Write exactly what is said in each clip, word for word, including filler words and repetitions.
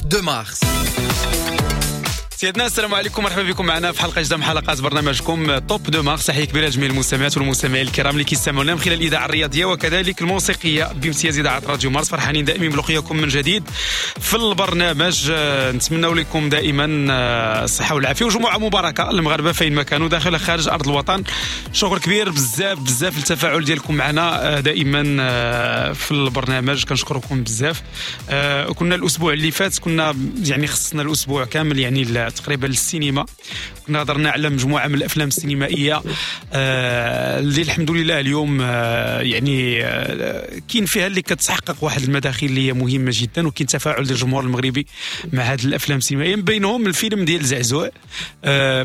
Top de Mars. سيدنا، السلام عليكم، مرحبا بكم معنا في حلقة جديدة من حلقات برنامجكم Top de Mars. تحية كبيرة لجميع المستمعات والمستمعين الكرام اللي كيستمعونا من خلال الاذاعة الرياضية وكذلك الموسيقية بامتياز اذاعة راديو مارس. فرحانين دائما بلقياكم من جديد في البرنامج. آه، نتمنى لكم دائما آه، الصحة والعافية وجمعه مباركة للمغاربة فين ما كانوا، داخل خارج ارض الوطن. شكر كبير بزاف بزاف للتفاعل ديالكم معنا آه، دائما في البرنامج، كنشكركم بزاف. كنا الاسبوع اللي فات كنا يعني خصنا الاسبوع كامل يعني تقريبا للسينما، كنا هضرنا على مجموعة من الافلام السينمائية آه، اللي الحمد لله اليوم آه، يعني آه، كاين فيها اللي كتحقق واحد المداخيل اللي هي مهمة جدا، وكاين تفاعل ديال الجمهور المغربي مع هذه الافلام السينمائيه، من بينهم الفيلم ديال زعزوع،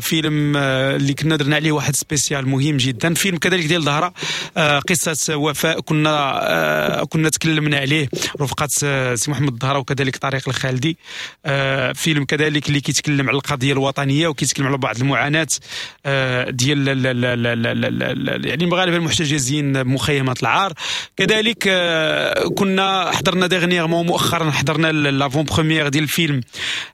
فيلم اللي كنا درنا عليه واحد spécial مهم جدا. فيلم كذلك ديال ظهره، قصة وفاء، كنا كنا تكلمنا عليه رفقه سي محمد الظهره وكذلك طارق الخالدي. فيلم كذلك اللي كيتكلم على القضية الوطنية وكيتكلم على بعض المعاناة آه، ديال يعني المغاربة المحتجزين بمخيمات العار. كذلك آه، كنا حضرنا dernièrement، مؤخرا حضرنا l'avant-première ديال الفيلم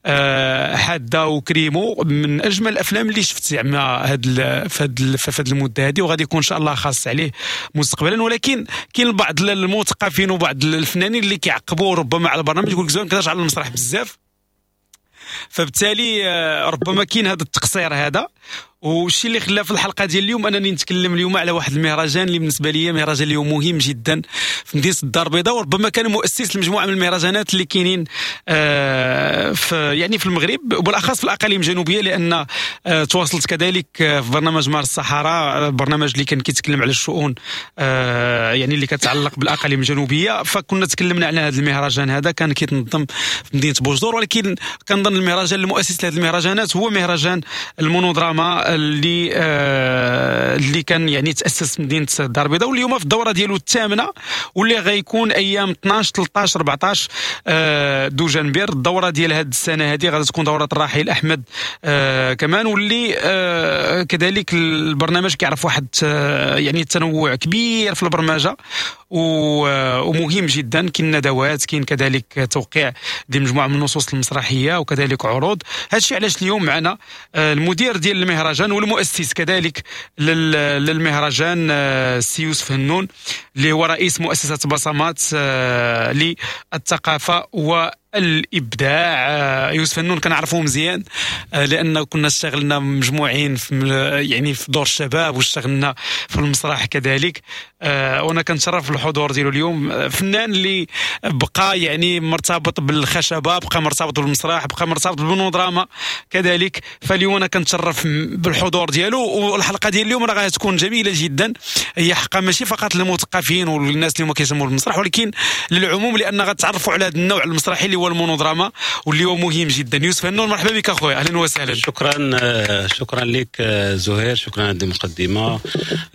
آه، حادة وكريمو، من اجمل الافلام اللي شفت زعما هاد في هاد في هاد المدة هذه، وغادي يكون ان شاء الله خاص عليه مستقبلا. ولكن كاين بعض المثقفين وبعض الفنانين اللي كيعقبوا ربما على البرنامج، يقول لك زوين كتهضر على المسرح بزاف، فبالتالي آه، ربما كاين هذا التقصير هذا. والشيء اللي خلى في الحلقة ديال اليوم انني نتكلم اليوم على واحد المهرجان اللي بالنسبة لي مهرجان اليوم مهم جدا في مدينة الدار البيضاء، وربما كان مؤسس لمجموعة من المهرجانات اللي كاينين آه، في يعني في المغرب وبالاخص في الاقاليم الجنوبيه، لان آه، تواصلت كذلك في برنامج مارس الصحراء، برنامج اللي كان كيتكلم على الشؤون آه، يعني اللي كتعلق بالاقاليم الجنوبيه، فكنا تكلمنا على هذا المهرجان هذا كان كيتنظم في مدينة بوجدور. ولكن كنظن المهرجان المؤسس لهذه المهرجانات هو مهرجان المونودراما اللي آه اللي كان يعني تاسس في مدينة الدار البيضاء، واليوم في الدورة ديالو الثامنه، واللي غيكون ايام اثنا عشر، ثلاثة عشر، أربعة عشر آه دوجنبير. الدورة ديال هذه السنة هذه غادي تكون دوره الراحل احمد آه كمان، واللي آه كذلك البرنامج كيعرف واحد آه يعني تنوع كبير في البرمجة ومهم جدا. كاين ندوات، كاين كذلك توقيع ديال مجموعة من النصوص المسرحية وكذلك عروض. هادشي علاش اليوم معنا آه، المدير ديال المهرجان والمؤسس كذلك للمهرجان، آه، السي يوسف هنون، اللي هو رئيس مؤسسة بصمات آه، للثقافة و الابداع. يوسف هنون كنعرفوه مزيان لان كنا اشتغلنا مجموعين في يعني في دور الشباب واشتغلنا في المسرح كذلك، وانا كنتشرف بالحضور ديالو اليوم. فنان اللي بقى يعني مرتبط بالخشبه، بقى مرتبط بالمسرح، بقى مرتبط بالمونودراما كذلك. فاليوم انا كنتشرف بالحضور ديالو، والحلقة ديال اليوم راه غتكون جميلة جدا. هي حقا ماشي فقط للمثقفين والناس اللي هما كيهتموا بالمسرح، ولكن للعموم، لان غتعرفوا على هذا النوع المسرحي اللي هو المونودراما واللي هو مهم جدا. يوسف هنون، مرحبا بك اخويا، اهلا وسهلا. شكرا، شكرا لك زهير، شكرا على المقدمه.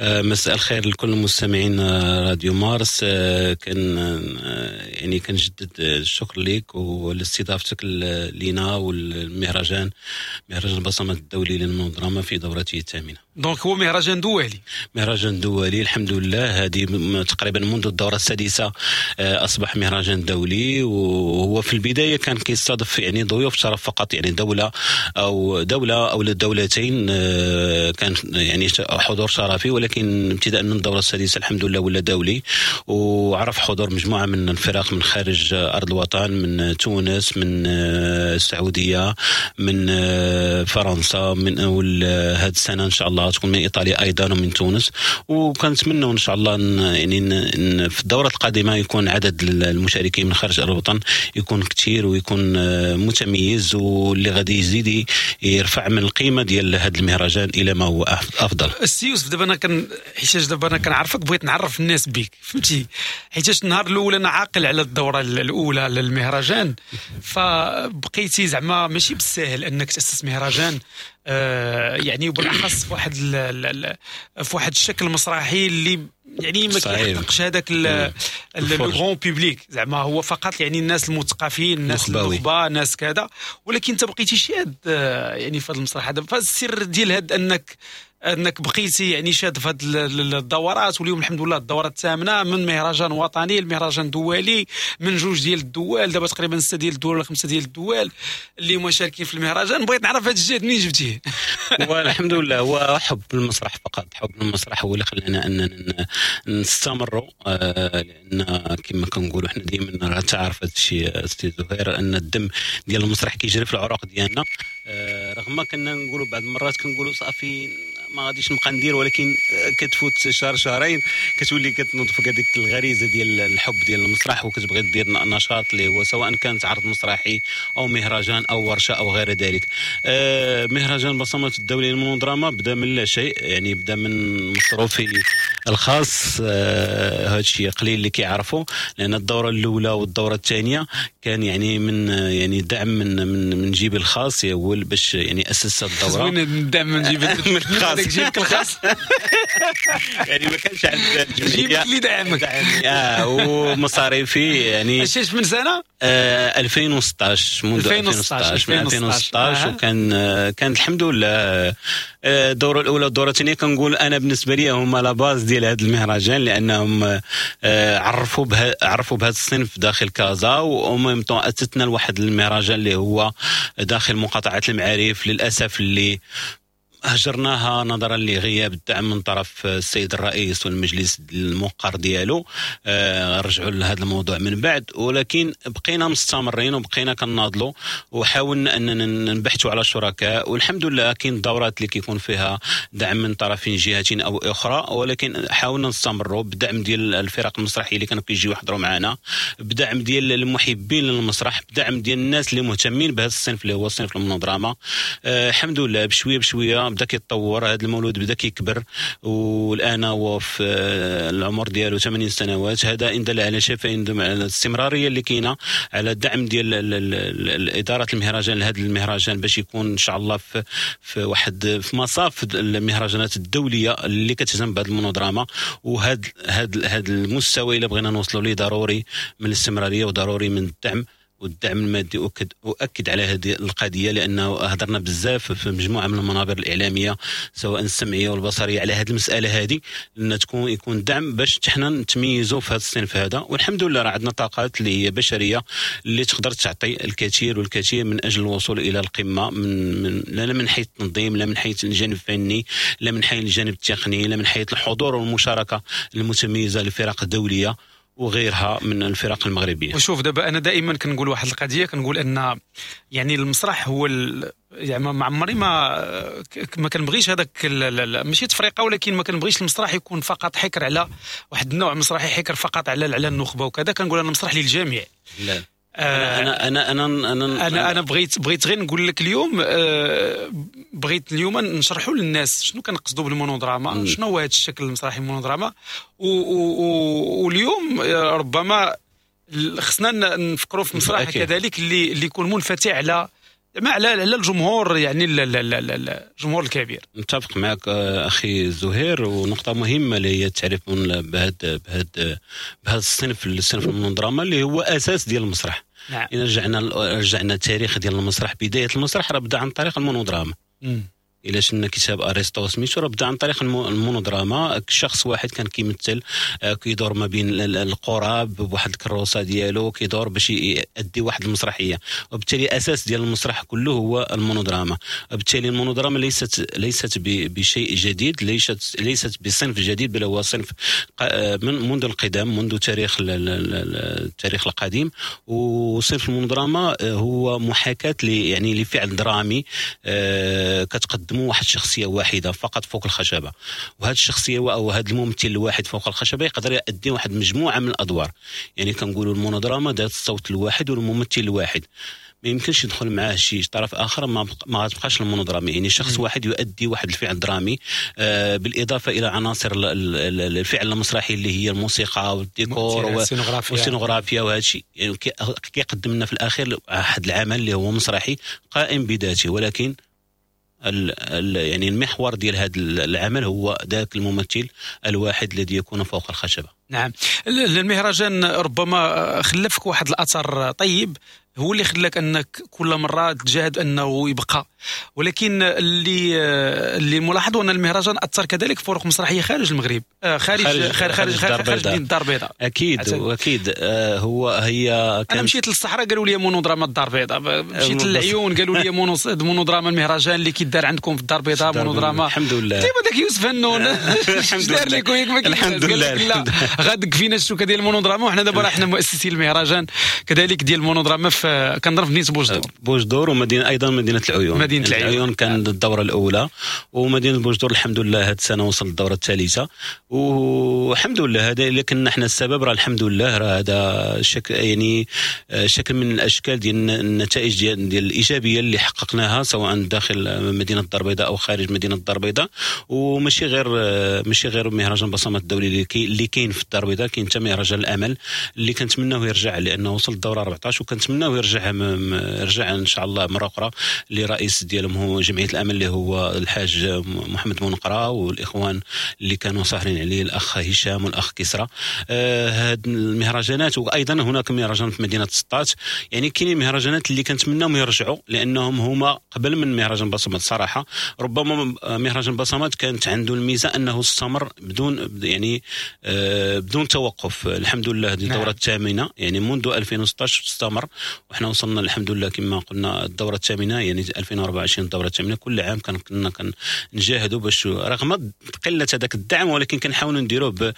مساء الخير لكل المستمعين راديو مارس. كان يعني كنجدد الشكر لك ولاستضافتك لينا والمهرجان، مهرجان البصمات الدولي للمونودراما في دورته الثامنه. donc هو مهرجان دولي. مهرجان دولي الحمد لله، هذه تقريبا منذ الدورة السادسة آه، اصبح مهرجان دولي. وهو في البداية كان كيستضيف يعني ضيوف شرف فقط، يعني دولة او دولة او دولتين، آه، كان يعني حضور شرفي. ولكن ابتداء من الدورة السادسة الحمد لله ولا دولي، وعرف حضور مجموعة من الفرق من خارج ارض الوطن، من تونس، من آه، السعوديه، من فرنسا، من هذه السنة ان شاء الله تكون من ايطاليا ايضا ومن تونس. وكنتمنوا ان شاء الله يعني في الدورة القادمة يكون عدد المشاركين من خارج الوطن يكون كثير ويكون آه، متميز، واللي غادي يزيد يرفع من القيمة ديال هذا المهرجان الى ما هو افضل. السي يوسف، دابا انا كان حيتاش دابا انا كنعرفك، بغيت نعرف الناس بك، فهمتي؟ حيتاش النهار الاول انا عاقل على الدورة الاولى للمهرجان، فبقيتي زعما ماشي بالساهل انك تاسس مهرجان آه يعني وبالاخص في واحد في واحد الشكل مسرحي اللي يعني ما كيحققش هذاك le grand public، زعما هو فقط يعني الناس المثقفين، الناس النخبه، الناس كذا. ولكن انت بقيتي شاد آه، يعني في هذا المسرح هذا. فالسر ديال هذا انك انك بقيتي يعني شاد في هذه الدورات، واليوم الحمد لله الدورة الثامنة، من مهرجان وطني لمهرجان دولي، من جوج ديال الدول، دابا تقريبا ستة ديال الدول ولا خمسة ديال الدول اللي مشاركين في المهرجان. بغيت نعرف هذا الجهد منين جبتيه؟ والحمد لله هو حب المسرح فقط، حب المسرح هو اللي خلانا اننا نستمروا، لان كما كنقولوا حنا ديما راه تعرف هذا الشيء سي زهير ان الدم ديال المسرح كيجري في العروق ديالنا. رغم كنا نقولوا بعض المرات كنقولوا صافي ما غاديش نبقى ندير، ولكن كتفوت شهر شهرين كتولي كتنوض فيك هذيك الغريزة ديال الحب ديال المسرح، وكتبغي دير نشاط اللي هو سواء كانت عرض مسرحي او مهرجان او ورشه او غير ذلك. مهرجان بصمات الدولي للمونودراما بدا من لا شيء، يعني بدا من مصروفي الخاص. هذا الشيء قليل اللي كيعرفوا، لان الدورة الاولى والدوره الثانية كان يعني من يعني دعم من من من جيبي الخاص، هو باش يعني اسس الدورة. زوين الدعم من جيبك الخاص، جيبك الخاص يعني ما كانش عند الجمعية، جيبك اللي دعمك. اه ومصاريفي يعني اش من سنة؟ آه ألفين وستطاش، منذ ألفين وستطاش، من ألفين وستطاش. آه. وكان كان الحمد لله الدورة الاولى والدوره الثانية كنقول انا بالنسبة لي هما la base ديال هذا المهرجان، لانهم عرفوا بها عرفوا بهذا الصنف داخل كازا، و même temps اتتنا لواحد المهرجان اللي هو داخل مقاطعه المعارف، للاسف اللي هجرناها نظرا لغياب الدعم من طرف السيد الرئيس والمجلس الموقر ديالو. آه رجعوا لهذا الموضوع من بعد، ولكن بقينا مستمرين وبقينا كنناضلوا وحاولنا اننا نبحثوا على شركاء، والحمد لله كاين الدورات اللي كيكون فيها دعم من طرف جهة او اخرى، ولكن حاولنا نستمروا بدعم ديال الفرق المسرحية اللي كانوا كيجيو يحضروا معنا، بدعم ديال المحبين للمسرح، بدعم ديال الناس اللي مهتمين بهذا الصنف اللي هو صنف المونودراما. آه الحمد لله بشوية بشوية بدا كيتطور هذا المولود، بدا كيكبر، والان هو في العمر ديالو ثمانين سنوات. هذا ان دل على شيء فإن دل على الاستمرارية اللي كاينه، على الدعم ديال ادارة المهرجان لهذا المهرجان باش يكون ان شاء الله في في واحد في مصاف المهرجانات الدولية اللي كتهتم بهذا المونودراما. وهذا هذا هذا المستوى اللي بغينا نوصلوا ليه ضروري من الاستمرارية وضروري من الدعم، والدعم المادي. أؤكد, أؤكد على هذه القضية، لأنه هضرنا بزاف في مجموعة من المنابر الإعلامية سواء السمعية والبصرية على هذه المسألة هذه، أن تكون يكون دعم باش حنا نتميزوا في هذا الصنف هذا. والحمد لله راه عندنا طاقات اللي هي بشرية اللي تقدر تعطي الكثير والكثير من أجل الوصول إلى القمة، من, من لا من حيث التنظيم، لا من حيث الجانب الفني، لا من حيث الجانب التقني، لا من حيث الحضور والمشاركة المتميزة للفرق الدولية وغيرها من الفرق المغربية. وشوف دابا انا دائما كنقول واحد القضية، كنقول ان يعني المسرح هو ال... يعني ما عمري ما ما كنبغيش هذاك ماشي تفرقه، ولكن ما كنبغيش المسرح يكون فقط حكر على واحد النوع مسرحي، حكر فقط على على النخبة وكذا. كنقول انا المسرح للجميع. لا انا انا انا انا انا انا بغيت بغيت غير نقول لك اليوم، بغيت اليوم نشرحوا للناس شنو كنقصدوا بالمونودراما، شنو هو هذا الشكل المسرحي المونودراما. واليوم ربما خصنا نفكروا في مسرح كذلك اللي اللي يكون منفتح على ما على على الجمهور، يعني الجمهور الكبير. متفق معك اخي زهير، ونقطة مهمة اللي هي التعريف بهذا بهذا بهذا الصنف، الصنف المونودراما اللي هو اساس ديال المسرح. نعم. إذا رجعنا رجعنا التاريخ ديال المسرح، بداية المسرح راه بدا عن طريق المونودراما. إلا شفنا كتاب أرسطو سميتو راه بدا عن طريق المونودراما، شخص واحد كان كيمثل، كيدور ما بين القراب بواحد الكروسه ديالو، كيدور باش يؤدي واحد المسرحية، وبالتالي اساس ديال المسرح كله هو المونودراما. وبالتالي المونودراما ليست ليست بشيء جديد، ليست ليست بصنف جديد، بل هو صنف من منذ القدم، منذ تاريخ التاريخ القديم. وصنف المونودراما هو محاكاة يعني لفعل درامي كتقدم واحد شخصية واحدة فقط فوق الخشبة، وهذه الشخصية او هذا الممثل الواحد فوق الخشبة يقدر يؤدي واحد مجموعة من الادوار. يعني كنقولوا المونودراما ذات الصوت الواحد والممثل الواحد، ما يمكنش يدخل معاه شي طرف اخر، ما ما غتبقاش المونودراما. يعني شخص واحد يؤدي واحد الفعل درامي، آه بالاضافة الى عناصر الفعل المسرحي اللي هي الموسيقى والديكور والسينوغرافيا وهذا الشيء. يعني كيقدم لنا في الاخير واحد العمل اللي هو مسرحي قائم بذاته، ولكن ال ال يعني المحور ديال هذا العمل هو ذاك الممثل الواحد الذي يكون فوق الخشبة. نعم، المهرجان ربما خلفك واحد الاثر طيب، هو اللي خلاك انك كل مرة تجاهد انه يبقى، ولكن اللي اللي ملاحظ ان المهرجان اثر كذلك في فرق مسرحية خارج المغرب، خارج خارج خارج خارج, خارج, خارج الدار البيضاء. اكيد واكيد آه هو هي كانت... انا مشيت للصحراء قالوا لي مونودراما الدار البيضاء، مشيت للعيون قالوا لي مونودراما المهرجان اللي كيدار عندكم في الدار البيضاء مونودراما. الحمد لله. ديما داك يوسف هنون الحمد لله الحمد لله. لا غادك فينا الشوكة ديال المونودراما، وحنا دابا راه حنا مؤسسي المهرجان كذلك ديال المونودراما في كنضرب في مدينة بوجدور. بوجدور ومدينة ايضا مدينة العيون. مدينة العيون, العيون كان الدورة الاولى، ومدينة بوجدور الحمد لله هذه السنة وصل الدورة الثالثة، والحمد لله هذا الا كنا حنا السبب راه الحمد لله راه هذا شكل يعني شكل من الاشكال ديال النتائج ديال, ديال الايجابية اللي حققناها سواء داخل مدينة الدار البيضاء او خارج مدينة الدار البيضاء. وماشي غير ماشي غير مهرجان بصمات الدولي اللي كاين في الدار البيضاء، كاين حتى مهرجان الامل اللي كنتمناو يرجع لانه وصل الدورة أربعطاش، وكنتمناو يرجع يرجع ان شاء الله مرة اخرى. اللي رئيس ديالهم هو جمعية الامل اللي هو الحاج محمد منقره، والاخوان اللي كانوا ساهرين عليه الاخ هشام والاخ كسرى. هاد المهرجانات، وايضا هناك مهرجان في مدينة سطات، يعني كاينين مهرجانات اللي كنتمناهم يرجعوا لانهم هما قبل من مهرجان بصمات. صراحة ربما مهرجان بصمات كانت عنده الميزة انه استمر بدون يعني بدون توقف. الحمد لله هذه الدورة الثامنة، يعني منذ ألفين وستطاش استمر، وحنا وصلنا الحمد لله كما قلنا الدورة الثامنة، يعني ألفين وأربعة وعشرين الدورة الثامنة. كل عام كنا كنجاهدوا باش رغم قلة هذاك الدعم، ولكن كنحاولوا نديروه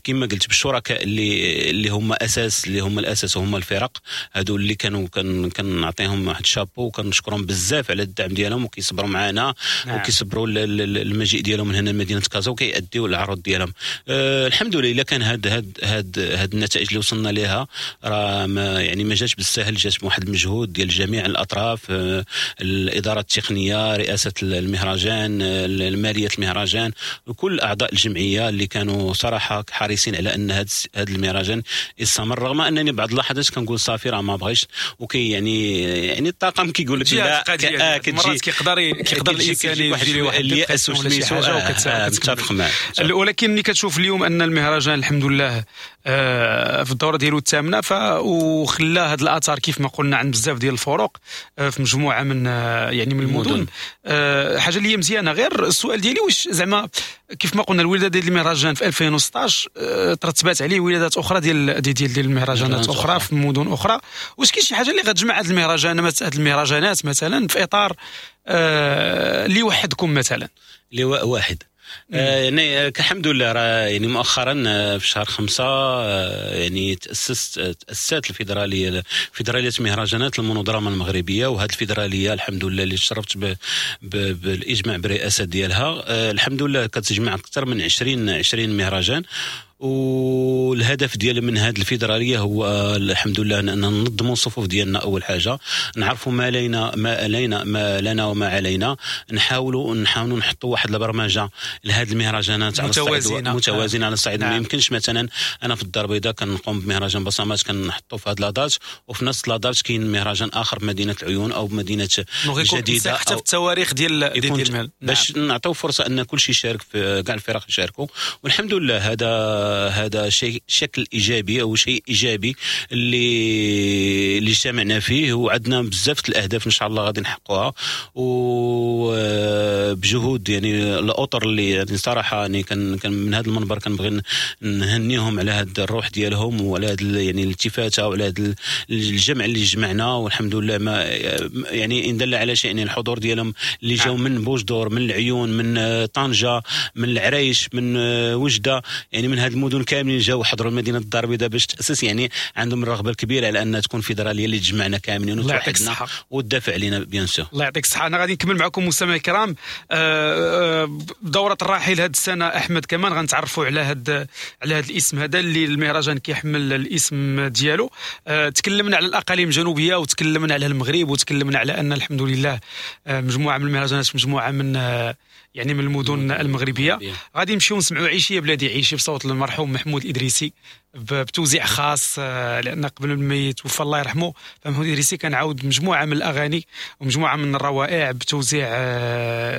كما قلت بالشركاء اللي اللي هما اساس اللي هما الاساس وهما الفرق هادو اللي كانوا كنعطيهم واحد شابو وكنشكرهم بزاف على الدعم ديالهم، وكيصبروا معنا. نعم. وكيصبروا المجيء ديالهم من هنا لمدينة كازا وكيأديوا العروض ديالهم. أه الحمد لله كان هاد هاد هاد هاد النتائج اللي وصلنا لها راه ما يعني ما جاتش بالسهل، جات بواحد المجهود ديال جميع الاطراف، أه الادارة التقنية، رئاسة المهرجان، المالية المهرجان، وكل اعضاء الجمعية اللي كانوا صراحة حريصين على ان هاد هاد المهرجان يستمر، رغم انني بعض اللحظات كنقول صافي راه ما بغيتش، وكي يعني يعني الطاقم كيقول لك لا، آه مرات كيقدر كيقدر الانسان يجي واحد الياس ولا شي حاجة وكتفق معاه. ولكن ملي كتشوف اليوم ان المهرجان الحمد لله في الدورة ديالو الثامنة، ف وخلى هاد الاثار كيف ما قلنا عند بزاف ديال الفرق في مجموعة من يعني من المدن، حاجة اللي هي مزيانه. غير السؤال ديالي واش زعما كيف ما قلنا الولادة ديال المهرجان في ألفين وستطاش ترتبات عليه ولادات اخرى ديال ديال ديال المهرجانات اخرى في مدن اخرى، واش كاين شي حاجة اللي غتجمع هاد المهرجان هاد المهرجانات مثلا في اطار اللي يوحدكم مثلا لواء واحد؟ يعني الحمد لله راه يعني مؤخرا في شهر خمسة يعني تأسست تأسست الفيدرالية فيدرالية مهرجانات المونودراما المغربية، وهذه الفيدرالية الحمد لله اللي شرفت بالإجماع بالرئاسة ديالها، الحمد لله كتجمع أكثر من عشرين عشرين مهرجان. والهدف ديال من هذه الفيدرالية هو الحمد لله ان ننظموا الصفوف ديالنا، اول حاجة نعرفوا ما لينا ما علينا ما لنا وما علينا، نحاولوا نحاولوا نحطوا واحد البرمجة لهذه المهرجانات على الصعيد متوازنة على الصعيد. نعم. ما يمكنش مثلا انا في الدار البيضاء كنقوم بمهرجان بصمات كنحطوا في هذه la date، وفي نفس la date كاين مهرجان اخر بمدينة العيون او بمدينة الجديدة، حتى في التواريخ ديال ديال المال، باش نعطيو فرصة ان كل شيء يشارك في كاع الفرق يشاركوا. والحمد لله هذا هذا شيء شكل ايجابي او شيء ايجابي اللي اللي اجتمعنا فيه، وعندنا بزاف الاهداف ان شاء الله غادي نحققوها، وبجهود يعني الاطر اللي يعني صراحة يعني كان كان من هذا المنبر كنبغي نهنيهم على هذا الروح ديالهم وعلى هذا يعني الالتفاته وعلى هذا الجمع اللي جمعنا. والحمد لله ما يعني ان دل على شيء يعني الحضور ديالهم اللي جاوا من بوجدور، من العيون، من طنجه، من العرايش، من وجده، يعني من هذه المدن كاملين جاوا حضروا مدينة الدار البيضاء باش تاسس، يعني عندهم الرغبة الكبيرة على ان تكون فيدرالية اللي تجمعنا كاملين وتوحدنا وتدافع علينا bien sûr. الله يعطيك الصحة. انا غادي نكمل معكم مستمعي الكرام دوره الراحل هذه السنة احمد كمان غنتعرفوا على هذا على هذا الاسم هذا اللي المهرجان كيحمل الاسم ديالو. تكلمنا على الاقاليم الجنوبية وتكلمنا على المغرب وتكلمنا على ان الحمد لله مجموعة من المهرجانات مجموعة من يعني من المدن المغربية. غادي نمشيو نسمعوا عيشي يا بلادي عيشي بصوت المرحوم محمود الإدريسي بتوزيع خاص، لان قبل ما يتوفى الله يرحمه فمحمود الإدريسي كان عاود مجموعة من الاغاني ومجموعة من الروائع بتوزيع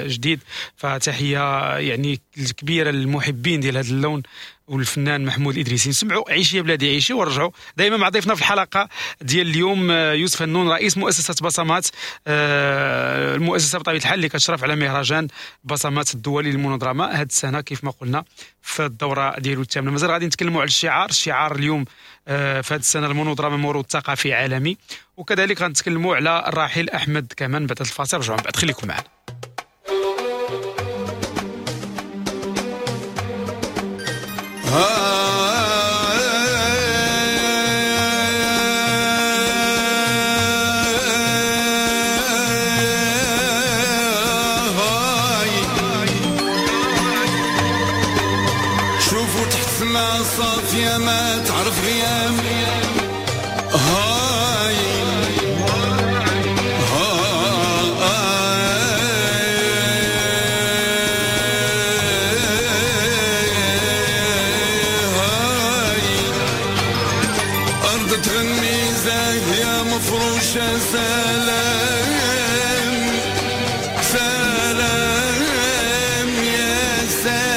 جديد. فتحيه يعني كبيرة للمحبين ديال هذا اللون والفنان محمود الادريسي. نسمعوا عيشي يا بلادي عيشي ونرجعوا دائما مع ضيفنا في الحلقة ديال اليوم يوسف هنون رئيس مؤسسة بصمات، المؤسسة بطبيعة الحال اللي كتشرف على مهرجان بصمات الدولي للمونودراما هذه السنة كيف ما قلنا في الدورة ديالو الثامنة. مازال غادي نتكلموا على الشعار، الشعار اليوم في هذه السنة المونودراما موروث ثقافي عالمي، وكذلك غنتكلموا على الراحل احمد كمان بعد الفاصل. رجعوا من بعد، خليكم معنا. شوفوا تحت السما صافية ما تعرف غيام، هاي هاي أرض تغني زاهية مفروشة سلام سلام يا سلام.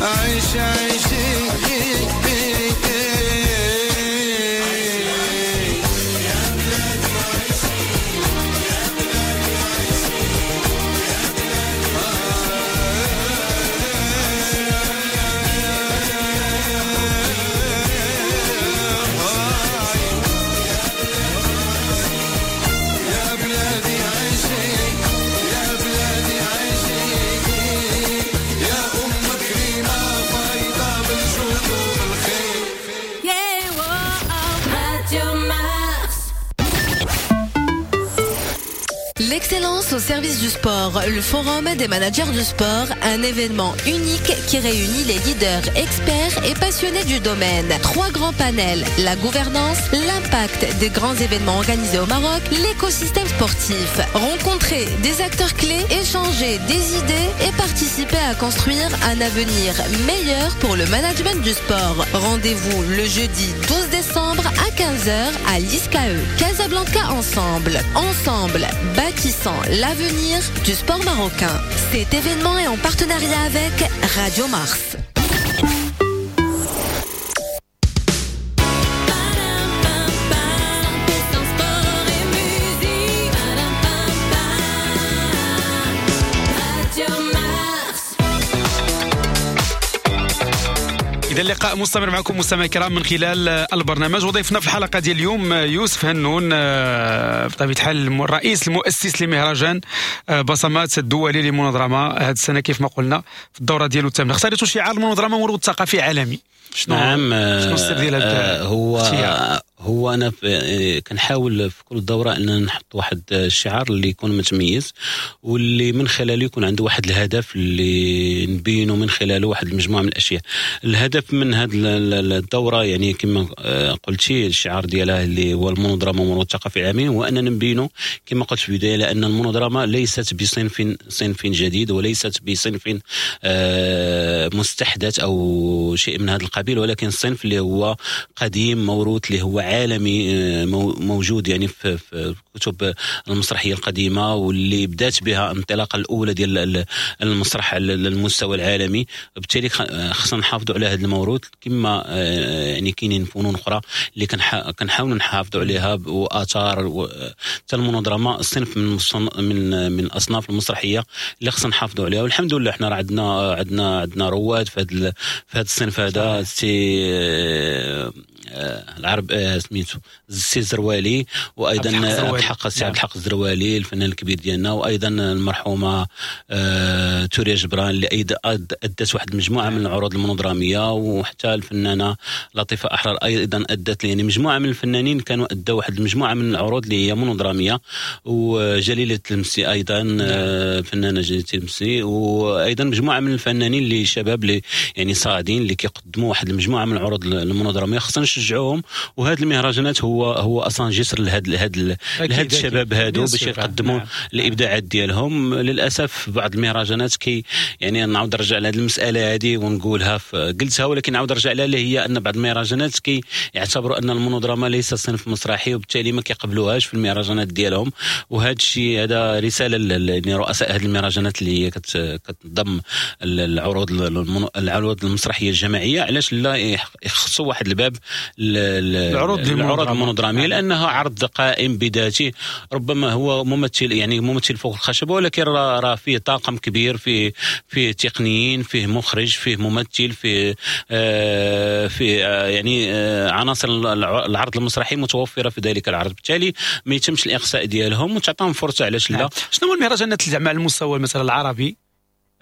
عيش عيش. L'excellence au service du sport, le forum des managers du sport, un événement unique qui réunit les leaders, experts et passionnés du domaine. Trois grands panels, la gouvernance, l'impact des grands événements organisés au Maroc, l'écosystème sportif. Rencontrer des acteurs clés, échanger des idées et participer à construire un avenir meilleur pour le management du sport. Rendez-vous le jeudi douze décembre à quinze heures à l'I S C A E. Casablanca ensemble. Ensemble, bâtissant l'avenir du sport marocain. Cet événement est en partenariat avec Radio Mars. إذا اللقاء مستمر معكم مستمعي الكرام من خلال البرنامج، وضيفنا في الحلقة ديال اليوم يوسف هنون، بطبيعة الحال الرئيس المؤسس لمهرجان بصمات الدولي للمونودراما هذه السنة كيف ما قلنا في الدورة ديالو الثامنة. اختاريتوا شعار المونودراما مرور ثقافي عالمي، شنو نعم شنو السر ديال هذا؟ هو هو انا كنحاول في كل دوره ان نحط واحد الشعار اللي يكون متميز واللي من خلاله يكون عنده واحد الهدف اللي نبينه من خلاله واحد المجموعة من الاشياء. الهدف من هذه الدورة يعني كما قلتي الشعار ديالها اللي هو المونودراما مرور الثقافي العالمي، هو اننا نبينه كما قلت في البداية لان المونودراما ليست بصنف صنف جديد وليست بصنف مستحدث او شيء من هذا القبيل، ولكن صنف اللي هو قديم موروث اللي هو عالمي موجود يعني في كتب المسرحية القديمة واللي بدات بها الانطلاقة الاولى ديال المسرح على المستوى العالمي. وبالتالي خصنا نحافظوا على هذا الموروث كما يعني كاينين فنون اخرى اللي كنحاولوا نحافظوا عليها واثار حتى المونودراما صنف من من من الاصناف المسرحية اللي خصنا نحافظوا عليها. والحمد لله حنا راه عندنا عندنا عندنا رواد في هذا في هذا الصنف هذا، سي العرب سميتو السي الزروالي، وايضا عبد الحق السي عبد الحق الزروالي الفنان الكبير ديالنا، وايضا المرحومة توريا جبران اللي ايضا ادت واحد المجموعة من العروض المونودراميه، وحتى الفنانة لطيفة احرار ايضا ادت، يعني مجموعة من الفنانين كانوا ادوا واحد المجموعة من العروض اللي هي مونودراميه، وجليله المسي ايضا الفنانة جليلة المسي، وايضا مجموعة من الفنانين اللي شباب اللي يعني صاعدين اللي كيقدموا واحد المجموعة من العروض المونودراميه، خصنا نشجعوهم. وهذه المهرجانات هو هو اصلا جسر لهاد لهاد لهاد الشباب هادو باش يقدموا الابداعات ديالهم. للاسف بعض المهرجانات كي يعني نعاود نرجع لهاد المسالة هذه ونقولها قلتها ولكن نعاود نرجع لها، اللي هي ان بعض المهرجانات كي يعتبروا ان المونودراما ليس صنف مسرحي وبالتالي ما كيقبلوهاش في المهرجانات ديالهم. وهذا الشيء هذا رسالة لرؤساء هذه المهرجانات اللي هي كتنظم العروض العروض المسرحية الجماعية، علاش لا يخصوا واحد الباب العروض العروض المونودراميه، لانها عرض قائم بذاته، ربما هو ممثل يعني ممثل فوق الخشبة، ولكن راه فيه طاقم كبير، فيه فيه تقنيين، فيه مخرج، فيه ممثل، فيه آه فيه آه يعني آه عناصر العرض المسرحي متوفرة في ذلك العرض، بالتالي ما يتمش الاقصاء ديالهم وتعطيهم فرصة. علاش لا؟ شنو هو المهرجانات اللي زعما على المستوى مثلا العربي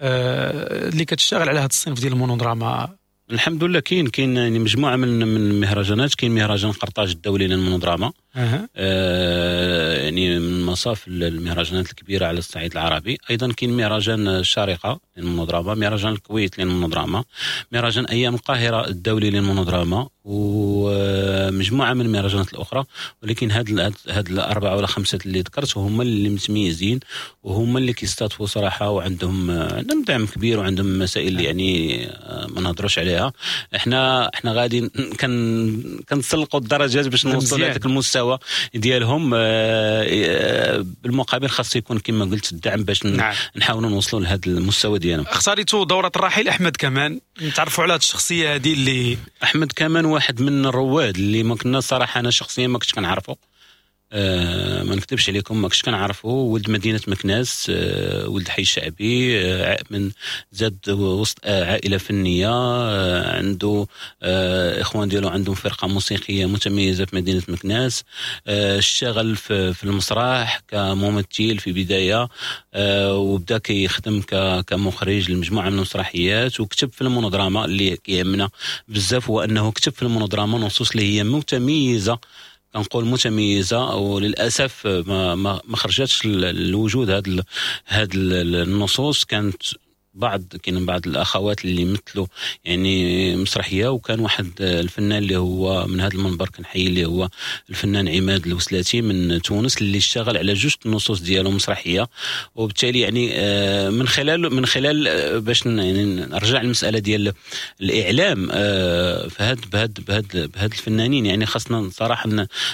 آه اللي كتشتغل على هذا الصنف ديال المونودراما؟ الحمد لله كاين كاين يعني مجموعة من من المهرجانات، كاين مهرجان قرطاج الدولي للمونودراما، أه. آه يعني من مصاف المهرجانات الكبيرة على الصعيد العربي. ايضا كاين مهرجان الشارقة للمونودراما، مهرجان الكويت للمونودراما، مهرجان ايام القاهرة الدولي للمونودراما، ومجموعة من المهرجانات الاخرى. ولكن هاد هاد الاربعة ولا خمسة اللي ذكرت هما اللي متميزين وهما اللي كيستضيفوا صراحة، وعندهم عندهم دعم كبير وعندهم مسائل يعني ما نهضروش عليها. احنا احنا غادي كن كنتسلقوا الدرجات باش نوصلوا لهذاك المستوى ديالهم. بالمقابل خاص يكون كما قلت الدعم باش نعم. نحاولوا نوصلوا لهذا المستوى ديالهم. اختاريتوا دوره الرحيل احمد كمان، نتعرفوا على هذه الشخصية هذه اللي احمد كمان واحد من الرواد اللي ما كنا صراحة انا شخصيا ما كنتش كنعرفه، أه ما نكذبش عليكم ما كنتش كنعرفه. ولد مدينة مكناس، أه ولد حي شعبي، أه من زاد وسط عائلة فنية، أه عنده أه اخوان ديالو عندهم فرقه موسيقية متميزة في مدينة مكناس، أه اشتغل في, في المسرح كممثل في بداية، أه وبدا كيخدم كمخرج لمجموعة من المسرحيات، وكتب في المونودراما. اللي كيهمنا بزاف هو انه كتب في المونودراما نصوص اللي هي متميزة. كنقول متميزة، وللاسف ما ما خرجتش للوجود هاد هاد النصوص. كانت بعض كاين بعض الاخوات اللي مثلوا يعني مسرحية، وكان واحد الفنان اللي هو من هذا المنبر كنحيي اللي هو الفنان عماد الوسلاتي من تونس اللي اشتغل على جوج النصوص ديالو مسرحية. وبالتالي يعني من خلال من خلال باش يعني نرجع للمسالة ديال الاعلام فهاد بهاد بهاد بهاد الفنانين، يعني خاصنا صراحة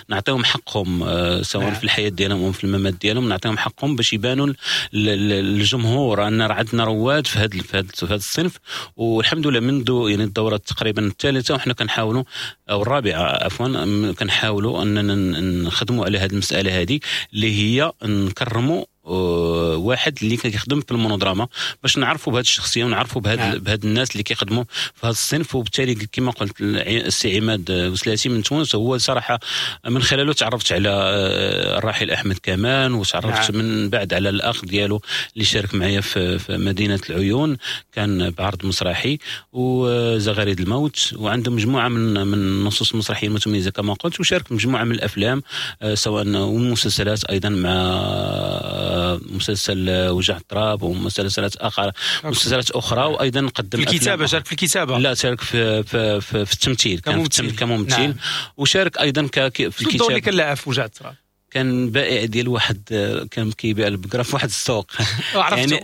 نعطيهم حقهم سواء في الحياة ديالهم او في الممات ديالهم، نعطيهم حقهم باش يبانوا للجمهور ان راه عندنا رواد في هذا في هذا الصنف. والحمد لله منذ يعني الدورة تقريبا الثالثة وحنا كنحاولوا او الرابعة عفوا كنحاولوا اننا نخدموا على هذه المسالة هذه اللي هي نكرموا واحد اللي كيخدم في المونودراما باش نعرفوا بهذه الشخصية ونعرفوا بهاد بهاد الناس اللي كيخدموا في هذا الصنف. وبالتالي كما قلت السي عماد وسلاتي من تونس هو صراحة من خلاله تعرفت على الراحل احمد كمان، وتعرفت نعم. من بعد على الاخ ديالو اللي شارك معايا في, في مدينة العيون، كان بعرض مسرحي وزغاريد الموت، وعنده مجموعة من من النصوص المسرحية المتميزة كما قلت، وشارك مجموعة من الافلام سواء والمسلسلات ايضا مع مسلسل وجع التراب ومسلسلات اخرى مسلسلات اخرى. وايضا قدم في الكتابة، شارك في الكتابة، لا شارك في في في, في التمثيل، كان في كممثل نعم. وشارك ايضا في الكتابة. الدور اللي كان لعب في وجع التراب كان بائع ديال واحد، كان كيبيع البقرة في واحد السوق يعني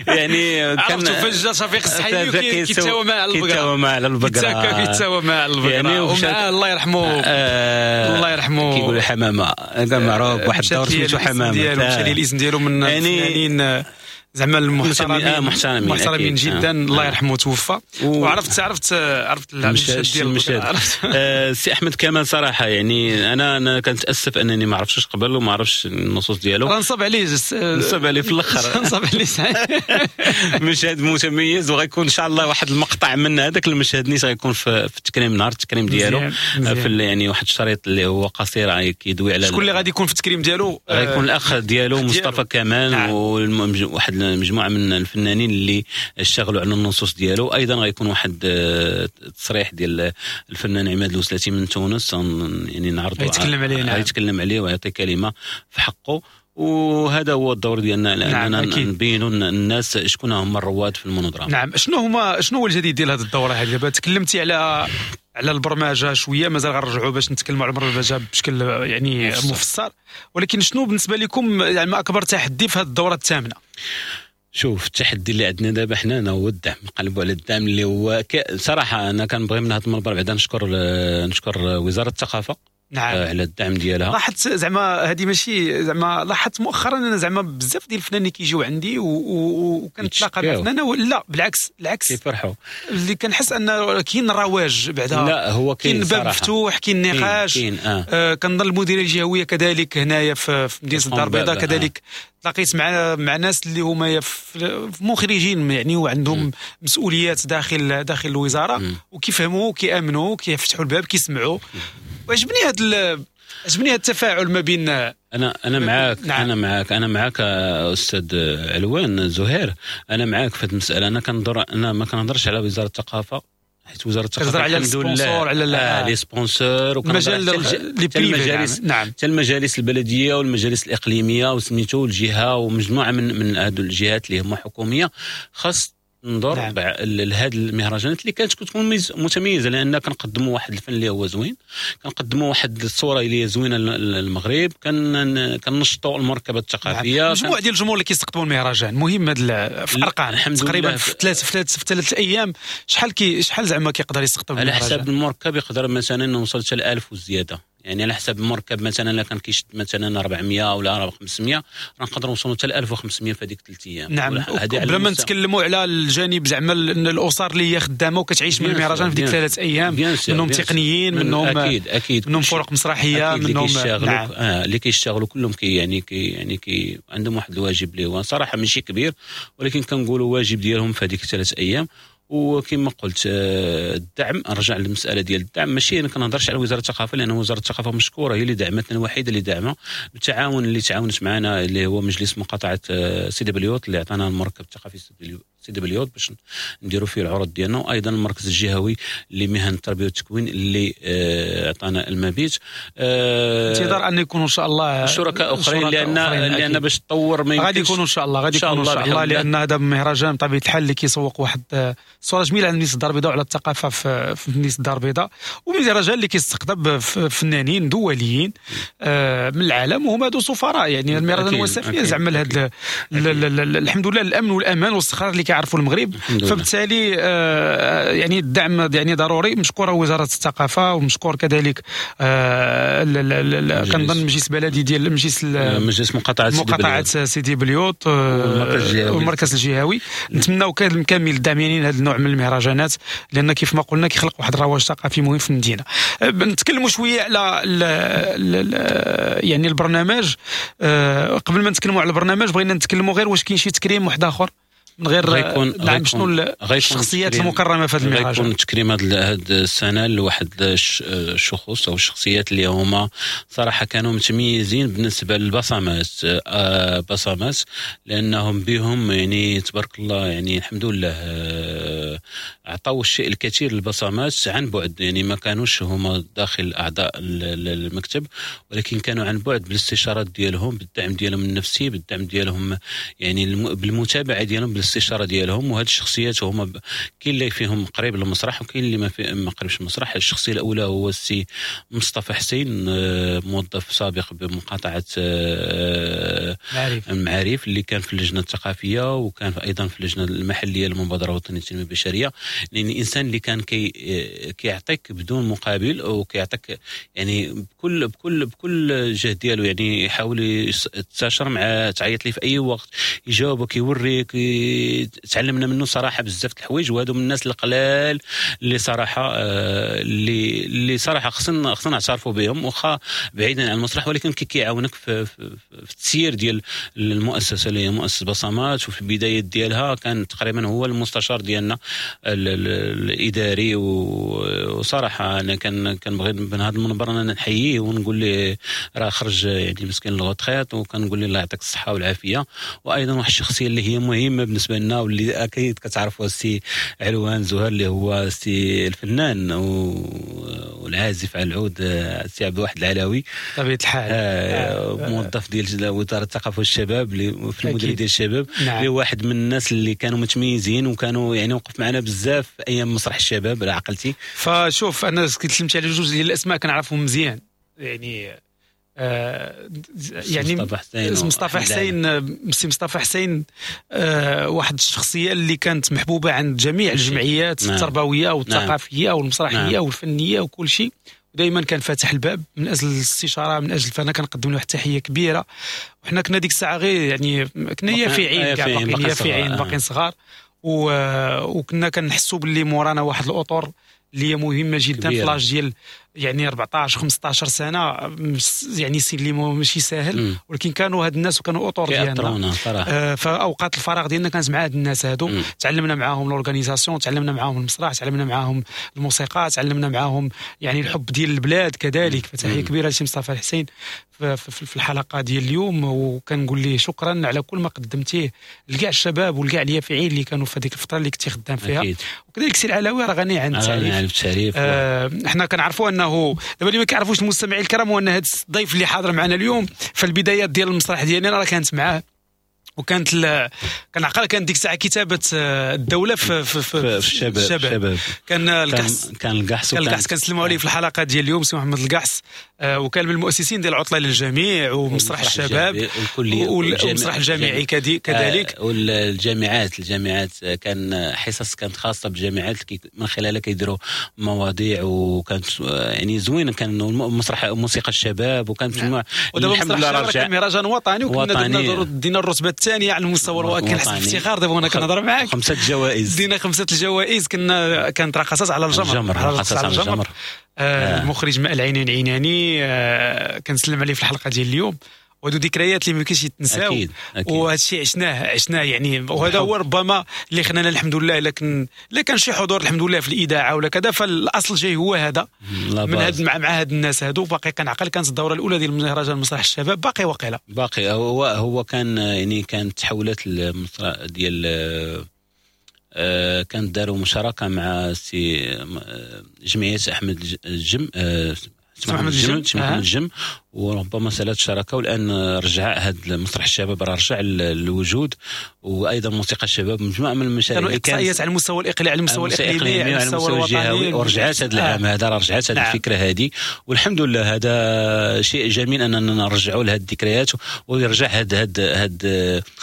يعني كان عرفتو فجأة شفيق السحيمي كيتساوى مع البقرة، كيتساوى مع البقرة، كيتساوى مع البقرة يعني. ومع الله يرحمه آه الله يرحمه كيقولوا حمامه، هذا معروف واحد الدور سميتو حمامه، مشى لي الاسم ديالو من الفنانين زعما المحترمين آه محترمين محترمين جدا آه. الله يرحمه توفى. وعرفت عرفت عرفت المشهد ديال السي احمد كمال صراحة يعني انا انا كنتاسف انني ما عرفتش قبل وما عرفتش النصوص ديالو، نصب عليه نصب عليه في الاخر نصب عليه مشهد متميز، وغيكون ان شاء الله واحد المقطع من هذاك المشهد نيت غيكون في, في التكريم، نهار التكريم ديالو في يعني واحد الشريط اللي هو قصير كيدوي على شكون اللي غادي يكون في التكريم ديالو. غيكون الاخ ديالو مصطفى كمال وواحد مجموعة من الفنانين اللي اشتغلوا على النصوص ديالو. ايضا غيكون واحد التصريح ديال الفنان عماد الوسلاتي من تونس، يعني نعرضوا يتكلم عليه، نعم. يتكلم عليه ويعطي كلمة في حقه. وهذا هو الدور ديالنا لاننا نعم نبينوا الناس شكون هما الرواد في المونودراما. نعم، شنو هما شنو هو الجديد ديال هذه الدورة هذه؟ دابا تكلمتي على على البرمجة شوية، مازال غنرجعوا باش نتكلموا على البرمجة بشكل يعني مفصل، ولكن شنو بالنسبة لكم يعني اكبر تحدي في هذه الدورة الثامنة؟ شوف التحدي اللي عندنا دابا حنا هو الدعم، نقلبوا على الدعم اللي هو ك... صراحة انا كنبغي من هذا المنبر بعدا نشكر نشكر وزارة الثقافة نعم. على الدعم ديالها. لاحظت زعما هذه ماشي زعما لاحظت مؤخرا انا زعما بزاف ديال الفنانين كيجيو عندي وكنتلاقى مع فنانة، لا بالعكس العكس كيفرحوا، اللي كنحس ان كاين رواج بعدا، لا هو كاين باب مفتوح، كاين نقاش، كاين آه. آه كنظن المديرية الجهوية كذلك هنايا في مدينة الدار البيضاء كذلك آه. تلاقيت مع مع ناس اللي هما في مخرجين يعني وعندهم مسؤوليات داخل داخل الوزارة، وكيفهموا كيامنوا كيفتحوا الباب كيسمعوا. وعجبني هذا عجبني هذا التفاعل ما بين انا انا معاك نعم. انا معاك انا معاك استاذ علوان زهير، انا معاك في هذه المسالة. انا كنهضر انا ما كنهضرش على وزارة الثقافة، حيت وزارة الثقافة على ال sponsors، على آه les sponsors، وكنهضر حتى المجالس نعم. حتى المجالس البلدية والمجالس الاقليمية وسميتو الجهة ومجموعة من من هذو الجهات اللي هما حكومية، خاص ننظر نعم. لهذه المهرجانات اللي كانت كتكون متميزة، لان كنقدموا واحد الفن اللي هو زوين، كنقدموا واحد الصورة اللي هي زوينة للمغرب، كن كنشطوا المركبة الثقافية. نعم. مجموعة ديال الجمهور اللي كيستقطبوا المهرجان مهم هذا في ارقام تقريبا في ثلاث في ثلاث في ثلاث ايام شحال كي شحال زعما كيقدر يستقطب على حساب المركب، يقدر مثلا نوصل حتى ألف وزيادة، يعني على حسب المركب مثلا الا كان كيشد مثلا أربعمية ولا خمسمية راه نقدروا نوصلوا حتى ألف وخمسمية في هذيك ثلاث ايام. نعم، بلا ما نتكلموا على الجانب زعما الاسر اللي هي خدامه وكتعيش من المهرجان في ديك ثلاث ايام، منهم تقنيين، منهم اكيد اكيد منهم فرق مسرحية، منهم نعم. آه اللي كيشتغلوا كلهم كي يعني كي يعني كي عندهم واحد الواجب اللي هو صراحة ماشي كبير، ولكن كنقولوا واجب ديالهم في هذيك ثلاث ايام. وكما قلت الدعم، نرجع للمسالة ديال الدعم، ماشي انا كنهضرش على وزارة الثقافة لان وزارة الثقافة مشكورة هي اللي دعمتنا، الوحيدة اللي دعمها بالتعاون اللي تعاونت معنا اللي هو مجلس مقاطعه سيدي بليوط اللي عطانا المركب الثقافي سيدي بليوط باش نديروا فيه العروض ديالنا، وايضا المركز الجهوي لمهن التربية والتكوين اللي عطانا المبيت. انتظار ان يكونوا ان شاء الله شركاء اخرين، لان لان باش تطور ما غادي يكونوا ان شاء الله، غادي يكونوا ان شاء الله، لان هذا مهرجان بطبيعة الحال اللي كيسوق واحد الصورة جميلة على مدينة الدار البيضاء وعلى الثقافة في مدينة الدار البيضاء، ومهرجان اللي كيستقطب فنانين دوليين من العالم، وهما هادو سفراء يعني المهرجان هو سفير زعما لهاد الحمد لله الامن والامان والاستقرار اللي كيعرفوا المغرب. فبالتالي يعني الدعم يعني ضروري. مشكورة وزارة الثقافة، ومشكور كذلك كنظن مجلس بلدي ديال مجلس مجلس مقاطعه مقاطعه سيدي بليوط والمركز الجهوي. نتمناو كامل الدعم يعني لهذا النوع من المهرجانات، لان كيف ما قلنا كيخلق واحد الرواج ثقافي مهم في المدينة. نتكلموا شوية على ال ال يعني البرنامج. قبل ما نتكلموا على البرنامج بغينا نتكلموا غير واش كاين شي تكريم واحد اخر من غير نعم شنو الشخصيات المكرمة في هذا المهرجان؟ غيكون تكريم هذه السنة لواحد الشخوص او الشخصيات اللي هما صراحة كانوا متميزين بالنسبة للبصمات، بصمات لانهم بهم يعني تبارك الله يعني الحمد لله عطاو الشيء الكثير للبصمات عن بعد، يعني ما كانوش هما داخل اعضاء المكتب، ولكن كانوا عن بعد بالاستشارات ديالهم، بالدعم ديالهم النفسي، بالدعم ديالهم يعني بالمتابعة ديالهم، بالاستشاره ديالهم. وهاد الشخصيات هما كاين اللي فيهم قريب للمسرح وكاين اللي ما في ما قريبش المسرح. الشخصية الاولى هو السي مصطفى حسين، موظف سابق بمقاطعة المعاريف، اللي كان في اللجنة الثقافية وكان ايضا في اللجنة المحلية للمبادره الوطنية للتنمية البشرية. لان الانسان اللي كان كي كيعطيك بدون مقابل، وكيعطيك يعني بكل بكل بكل جهد ديالو، يعني يحاول يتستشر مع تعيط ليه في اي وقت، يجاوبك، يوريك، تعلمنا منه صراحة بزاف د الحوايج. وهادو من الناس القلال اللي صراحة اللي اللي صراحة خصنا خصنا نعترفوا بهم، واخا بعيدا عن المسرح، ولكن كي كيعاونك في, في, في التسيير ديال المؤسسة اللي هي مؤسسة بصمات. وفي البدايات ديالها كان تقريبا هو المستشار ديالنا الاداري، وصراحة انا كان كنبغي من هذا المنبر انا نحييه ونقول له راه خرج يعني مسكين la retraite، وكنقول له الله يعطيك الصحة والعافية. وايضا واحد الشخصية اللي هي مهمة بالنسبة لنا واللي اكيد كتعرفوا السي علوان زهير، اللي هو السي الفنان والعازف على العود، السي عبد الواحد العلاوي بطبيعة الحال، آه موظف ديال وزارة الثقافة والشباب اللي في المديرية ديال الشباب، نعم. اللي واحد من الناس اللي كانوا متميزين وكانوا يعني وقف معنا بزاف ايام مسرح الشباب على عقلتي. فشوف انا كنت على جوج ديال الاسماء كنعرفهم مزيان، يعني آه يعني مصطفى حسين، مصطفى حسين سي مصطفى حسين آه واحد الشخصية اللي كانت محبوبه عند جميع الجمعيات، نعم. التربوية والثقافية، نعم. والمسرحيه، نعم. والفنية وكل شيء، ودائما كان فاتح الباب من اجل الاستشارة، من اجل فانا كنقدم له واحد التحية كبيرة. وحنا كنا ديك الساعة غير يعني كنا يافعين كاع، باقيين يافعين باقيين صغار، وكنا كنحسوا باللي مورانا واحد الاطر اللي هي مهمة جدا في l'âge ديال يعني أربعطاش خمسطاش سنة، يعني سن اللي ماشي ساهل، ولكن كانوا هاد الناس وكانوا اطر ديالنا. آه فاوقات الفراغ ديالنا كانت مع هاد الناس هادو، تعلمنا معاهم l'organisation، تعلمنا معاهم المسرح، تعلمنا معاهم الموسيقى، تعلمنا معاهم يعني الحب ديال البلاد كذلك. فتحيه كبيرة لسي مصطفى الحسين في, في الحلقة ديال اليوم، وكنقول ليه شكرا على كل ما قدمتيه لكاع الشباب ولكاع اليافعين اللي كانوا في هذيك الفترة اللي كنتي خدام فيها. أكيد. وكذلك سي العلاوي راه غني عن التعريف. آه حنا كنعرفوا انه دابا اللي ما كيعرفوش المستمعين الكرام هو ان هذا الضيف اللي حاضر معنا اليوم في البدايات ديال المسرح ديالنا راه كانت معاه، وكانت ال... كنعقل كانت ديك الساعة كتابه الدولة في في, في, في الشباب, الشباب. كان القحص كان القحص كان القحص كنسلموا عليه في الحلقة ديال اليوم سي محمد القحص، آه وكان من المؤسسين ديال العطلة للجميع ومسرح الشباب والمسرح الجامعي كذلك، آه والجامعات الجامعات كان حصص كانت خاصة بالجامعات من خلالها كيديروا مواضيع، وكانت يعني زوينة. كان مسرح موسيقى الشباب، وكانت نعم. الحمد لله رجع مهرجان وطني، وكنا درنا دينا الرتبة الثانية على المستوى الوطني. كنحس بافتخار دابا وانا كنهضر معاك. خمسة جوائز دينا، خمسة الجوائز. كنا كانت رقصات على الجمر، الجمر رقصات على الجمر. آه المخرج ماء العينين عيناني، آه كنسلم عليه في الحلقة ديال اليوم. وهادو ذكريات اللي ما يمكنش يتنساو، وهذا الشيء عشناه عشناه يعني، وهذا هو ربما اللي خلانا الحمد لله. لكن لا كان شي حضور الحمد لله في الاذاعة ولا كذا، فالاصل جاي هو هذا من هاد مع, مع هاد الناس هادو. باقي كنعقل كانت الدورة الاولى ديال مهرجان مسرح الشباب باقي وقيله باقي هو هو كان يعني كانت تحولت المسرح ديال آه، كانت داروا مشاركة مع سي جمعية احمد الجم، آه، محمد الجم، محمد الجم، وربما سالت الشراكة، والان رجع هذا المسرح الشباب راه رجع للوجود، وايضا موسيقى الشباب، مجموعة من المشاريع اللي كانت على المستوى الاقليمي، على المستوى الاقليمي، على المستوى الجهوي، ورجعت هذا العام هذا راه رجعت هذه الفكرة هذه، والحمد لله هذا شيء جميل اننا نرجعوا لهذه الذكريات، ويرجع هاد هاد هاد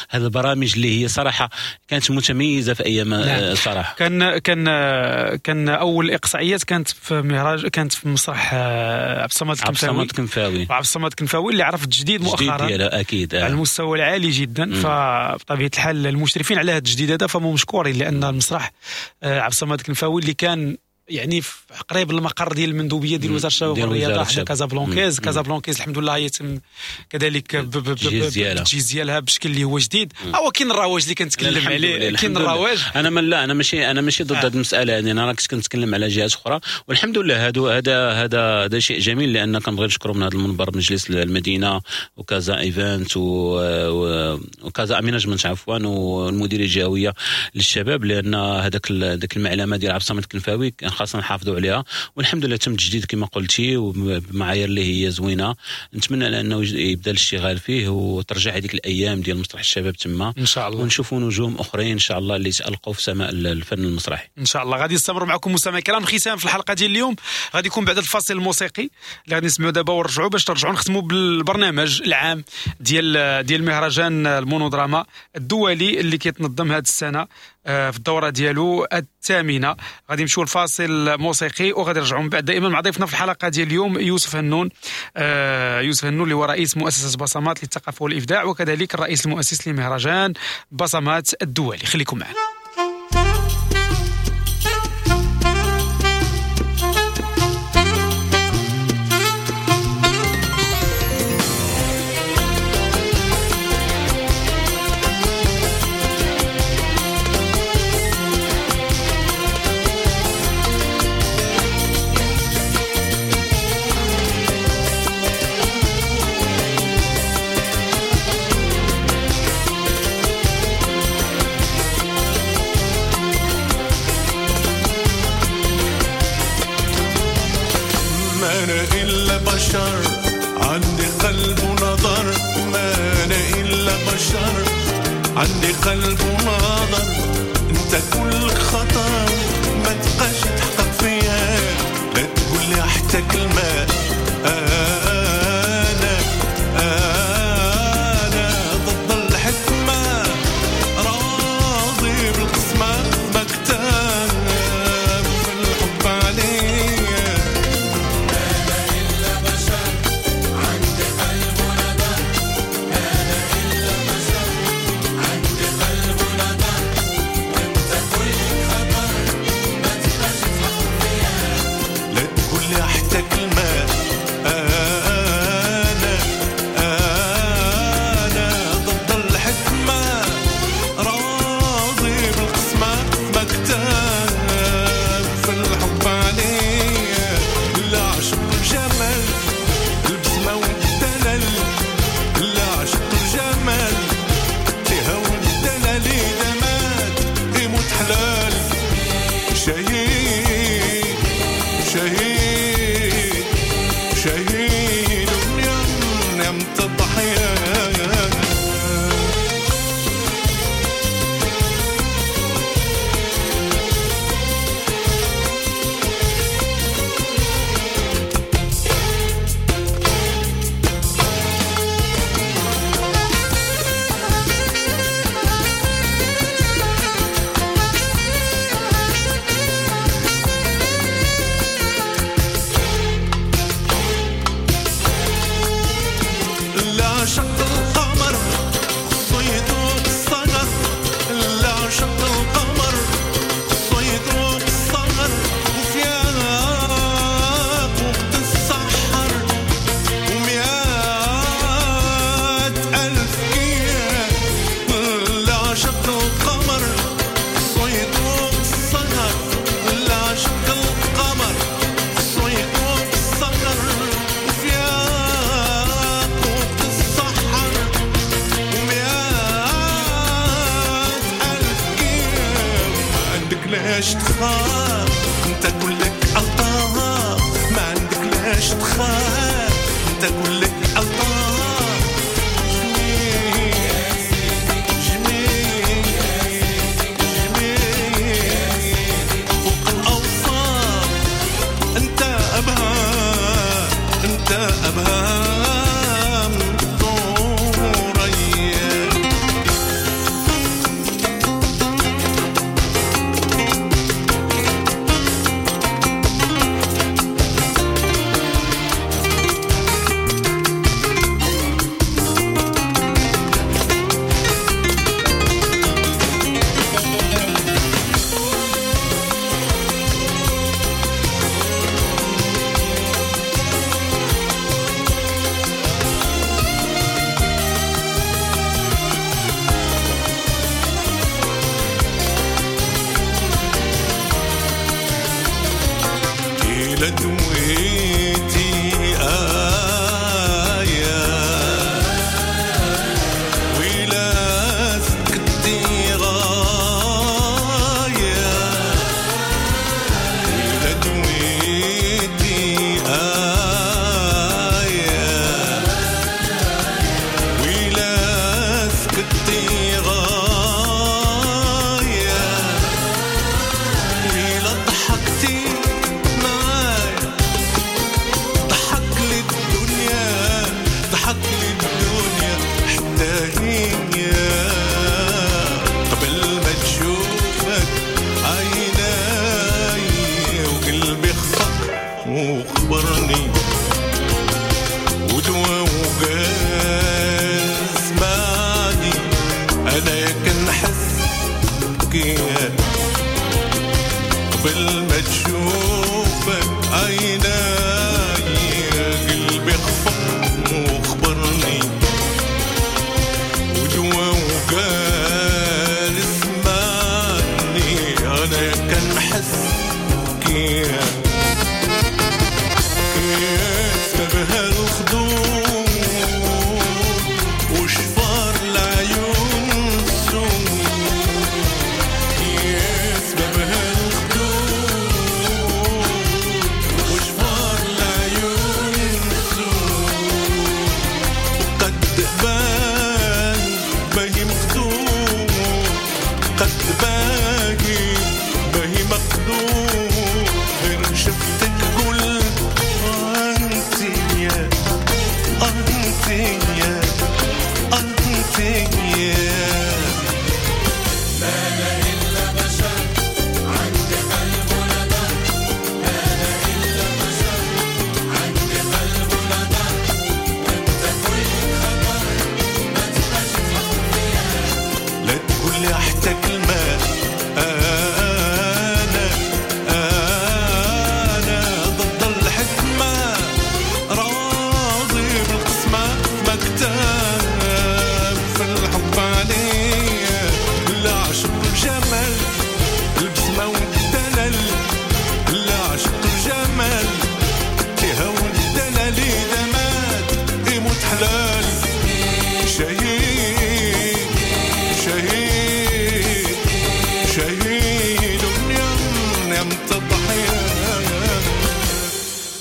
هاد البرامج اللي هي صراحة كانت متميزة في ايام. نعم. صراحة كان كان كان اول اقصائيات كانت في مهراج، كانت في مسرح عبد الصمد الكنفاوي، عبد الصمد الكنفاوي اللي عرف التجديد مؤخرا اكيد على المستوى العالي جدا. فبطبيعه الحال المشرفين على هذا التجديد هذا فهم مشكورين، لان المسرح عبد الصمد الكنفاوي اللي كان يعني في قريب المقر ديال المندوبيه ديال وزارة الشباب والرياضة حدا كازابلانكيز، كازابلانكيز الحمد لله يتم كذلك بالتجهيز ديالها بشكل اللي هو جديد. هو كاين الرواج اللي كنتكلم عليه، كاين الرواج. انا ما لا انا ماشي انا ماشي ضد هذه المسالة، يعني انا كنت كنتكلم على جهات اخرى، والحمد لله هذا هذا هذا هذا شيء جميل، لان كنبغي نشكر من هذا المنبر مجلس المدينة وكازا ايفنت وكازا اميناجمنت عفوا، والمديريه الجهوية للشباب، لان هذاك ذاك المعلمة ديال عبد الصمد الكنفاوي خاصنا نحافظوا عليها، والحمد لله تم التجديد كما قلتي وبمعايير اللي هي زوينة. نتمنى انه يبدا الاشتغال فيه وترجع هذيك الايام ديال مسرح الشباب تما ان شاء الله، ونشوفوا نجوم اخرين ان شاء الله اللي تالقوا في سماء الفن المسرحي ان شاء الله. غادي نستمروا معكم مستمعي الكرام. الختام في الحلقة ديال اليوم غادي يكون بعد الفاصل الموسيقي اللي غادي نسمعوا دابا، ونرجعوا باش ترجعوا نختموا بالبرنامج العام ديال ديال مهرجان المونودراما الدولي اللي كيتنظم هذه السنة في الدورة ديالو الثامنة. غادي نمشيو لفاصل موسيقي وغادي نرجعوا من بعد دائما مع ضيفنا في الحلقة ديال اليوم يوسف هنون، يوسف هنون اللي هو رئيس مؤسسة بصمات للثقافة والابداع، وكذلك الرئيس المؤسس لمهرجان بصمات الدولي. خليكم معنا. عندي قلب ونظر، ما أنا إلا بشر، عندي قلب ونظر، أنت كل خطر ما تبقاش تحقق فيا، لا تقول لي حتى كلمة، أنا أنا ضد الحكمة، راضي بالقسمة، مكتاب في الحب عليا. السحر. لاش تخاف، انت كلك الطاف ما عندك لاش تخاف، انت كلك الطاف. جميل جميل جميل فوق الاوصاف، انت ابهى انت ابهى. قبل ما تشوفك عيناي قلبي خفق وخبرني ودوا وقال اسمعني انا كنحس كيف كيف بهالخدود وشفار العيون سود كيف بهالخدود وشفار العيون سود قد بان باهي مخدوم قد باهي باهي مخدوم غير شفتك قلت انت يا انت يا انت يا ما أنا إلا بشر عندي قلب ونظر، ما أنا إلا بشر عندي قلب ونظر، وأنت كلك خطر ما تبقاش تحط فيا. لا تقول لي حتى كلمة أنا أنا ضد الحكمة راضي بالقسمة مكتاب في الحب عليا لا عشق الجمال البسمة والدلال لا عشق الجمال تهوى الدلال إذا مات يموت حلال شهيد شهيد شهيد يم تضحية.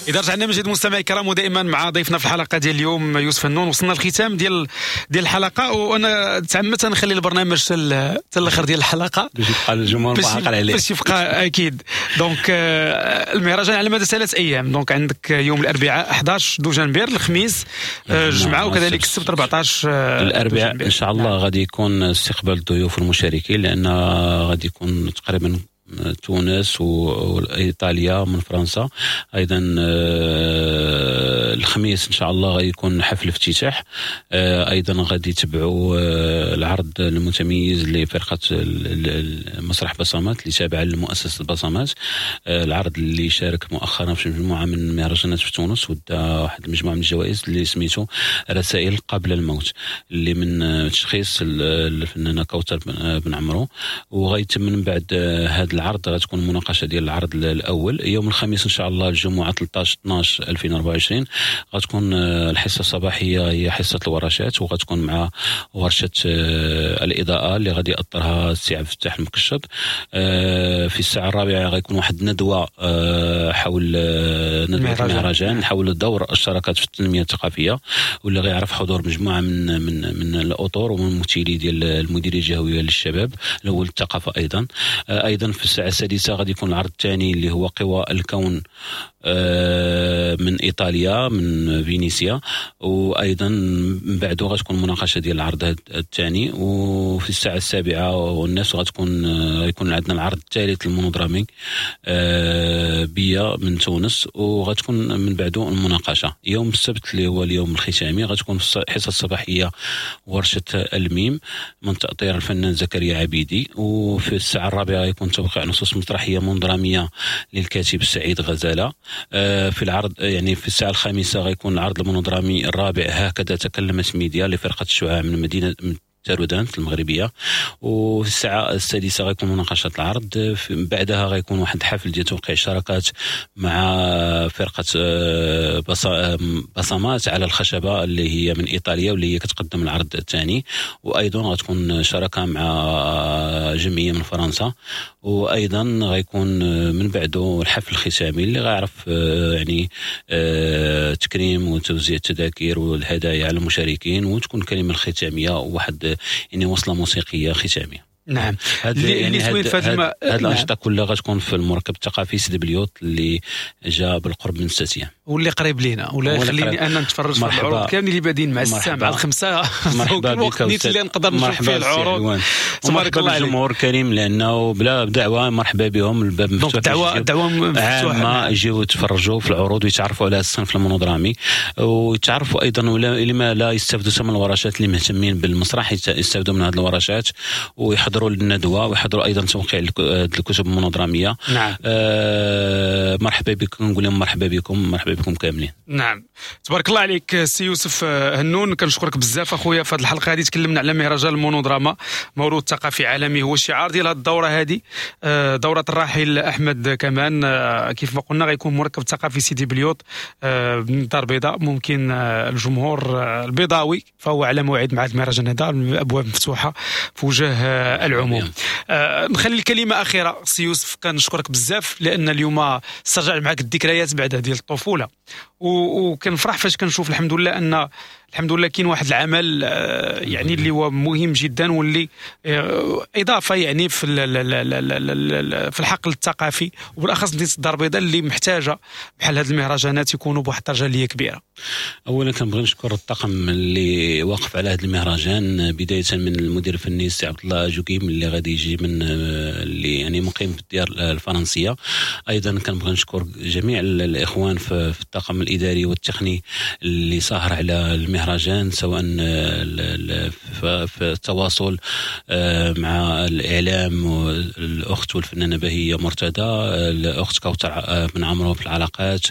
اذا رجعنا من جديد مستمعي الكرام ودائما مع ضيفنا في الحلقة ديال اليوم يوسف النون. وصلنا للختام ديال ديال الحلقة، وانا تعمدت نخلي البرنامج حتى الاخر ديال الحلقة باش يبقى الجمهور معقل عليه باش يبقى اكيد. donc المهرجان على مدى ثلاث ايام، donc عندك يوم الاربعاء أحد عشر دجنبر، الخميس الجمعة، وكذلك السبت أربعة عشر الاربعاء ان شاء الله. غادي يكون استقبال الضيوف المشاركين، لان غادي يكون تقريبا تونس وإيطاليا من فرنسا. أيضا الخميس إن شاء الله غيكون حفل افتتاح. أيضا غادي يتبعوا العرض المتميز لفرقة مسرح بصمات اللي تابعة لمؤسسة بصمات، العرض اللي شارك مؤخرا في مجموعة من المهرجانات في تونس ودا واحد المجموعة من الجوائز اللي سميتو رسائل قبل الموت، اللي من تشخيص الفنانة كوثر بن عمرو. وغيتم من بعد هذا العرض، غتكون مناقشة ديال العرض الاول. يوم الخميس ان شاء الله الجمعة ثلاثة عشر اثنا عشر ألفين وأربعة وعشرين غتكون آه، الحصة الصباحية هي حصة الورشات، وغتكون مع ورشه آه، الاضاءة اللي غادي يأطرها السي عبد الفتاح المكشط. آه، في الساعة الرابعة غيكون واحد الندوة حول ندوه المهرجان حول دور الشراكات في التنمية الثقافيه، واللي غيعرف حضور مجموعة من من من الاطر ومن الممثلي ديال المديرية الجهوية للشباب الاول الثقافة. ايضا ايضا في الساعة السادسة غادي يكون العرض الثاني اللي هو قوى الكون آه، من ايطاليا، من فينيسيا، وايضا من بعده غتكون مناقشة ديال العرض الثاني. وفي الساعة السابعة والنصف غتكون غيكون عندنا العرض الثالث المونودرامي آه، بيا من تونس، وغتكون من بعده المناقشه. يوم السبت اللي هو اليوم الختامي غتكون في الحصة الصباحية ورشه الميم من تاطير الفنان زكريا عبيدي، وفي الساعة الرابعة يكون توقيع نصوص مسرحية مونودراميه للكاتب سعيد غزاله. آه، في العرض يعني في الساعة الخامسة غيكون العرض المونودرامي الرابع هكذا تكلمت ميديا لفرقة الشعاع من مدينة تارودانت المغربيه، وفي الساعة السادسة غيكون مناقشة العرض. بعدها غيكون واحد الحفل ديال توقيع شراكات مع فرقه آه، بصمات على الخشبة اللي هي من ايطاليا واللي هي كتقدم العرض الثاني، وايضا غتكون شراكة مع جمعية من فرنسا. وايضا غيكون من بعده الحفل الختامي اللي غيعرف آه، يعني آه، تكريم وتوزيع التذاكر والهدايا على المشاركين، وتكون الكلمة الختامية وواحد يعني وصله موسيقية ختامية. نعم. هاد اللي يعني زوين هاد في هاد الم... هاد نعم. الانشطة كلها غتكون في المركب الثقافي سيدي بليوط اللي جا بالقرب من الساتيه. واللي قريب لينا ولا واللي يخليني قريب. انا نتفرج في مرحبا. العروض كاملين اللي بادين مع الساعة مرحبا. مع الخمسه. مرحبا الوقت بك نيت أستاذ. اللي نقدر نشوف مرحبا فيه سي العروض. علوان. تبارك ومرحبا الله عليك. بالجمهور الكريم، لانه بلا دعوه مرحبا بهم، الباب مفتوح. donc دعوه دعوه مفتوحه. عامة، يجيو يتفرجوا في العروض ويتعرفوا على الصنف المونودرامي ويتعرفوا ايضا ولا لما لا يستافدوا من الورشات، اللي مهتمين بالمسرح يت- يستافدوا من هذه الورشات ويحضروا للندوه ويحضروا ايضا توقيع الك- الكتب المونودراميه. نعم آه مرحبا بكم، نقول لهم مرحبا بكم، مرحبا بكم كاملين. نعم، تبارك الله عليك سي يوسف آه، هنون، كنشكرك بزاف اخويا. في هذه الحلقة هذه تكلمنا على مهرجان المونودراما، موروث ثقافي عالمي هو الشعار ديال هذه الدورة هذه، آه، دوره الراحل احمد كمان. آه، كيف ما قلنا غيكون مركب ثقافي سيدي بليوط آه، من الدار البيضاء. ممكن آه، الجمهور آه، البيضاوي فهو على موعد مع هذا المهرجان هذا، الابواب مفتوحة في وجه آه، العموم. آه، نخلي الكلمة اخيرة سي يوسف، كنشكرك بزاف لان اليوم استرجع معك الذكريات بعد ديال الطفوله، و- وكنفرح فاش كنشوف الحمد لله ان الحمد لله كاين واحد العمل آه، يعني اللي هو مهم جدا واللي آه، اضافه يعني في ال- ال- ال- ال- ال- ال- في الحقل الثقافي، وبالاخص مدينة الدار البيضاء اللي محتاجه بحال هذه المهرجانات يكونوا بواحد الدرجة اللي هي كبيره. اولا كنبغي نشكر الطاقم اللي واقف على هذا المهرجان، بداية من المدير الفني السي عبد الله جوكيم اللي غادي يجي من اللي يعني مقيم في الديار الفرنسيه. ايضا كنبغي نشكر جميع الاخوان في في الطاقم الاداري والتقني اللي ساهر على المهرجان، سواء ال- ال- في التواصل آه، مع الاعلام الاخت والفنانه بهيه مرتضى، الاخت كوثر آه، بن عمرو في العلاقات،